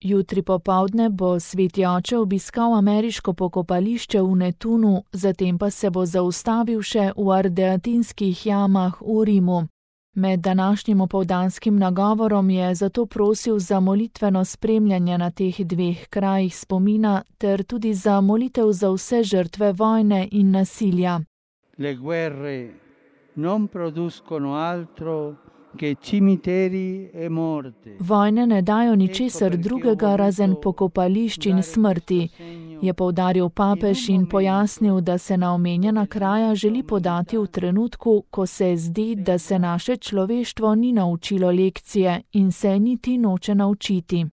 Jutri popoldne bo sveti oče obiskal ameriško pokopališče v Netunu, zatem pa se bo zaustavil še v Ardeatinskih jamah v Rimu. Med današnjim opoldanskim nagovorom je zato prosil za molitveno spremljanje na teh dveh krajih spomina ter tudi za molitev za vse žrtve vojne in nasilja. Le guerre non producono altro che cimiteri e morte. Vojne ne dajo ničesar drugega razen pokopališč in smrti, je poudaril papež in pojasnil, da se na omenjena kraja želi podati v trenutku, ko se zdi, da se naše človeštvo ni naučilo lekcije in se niti noče naučiti.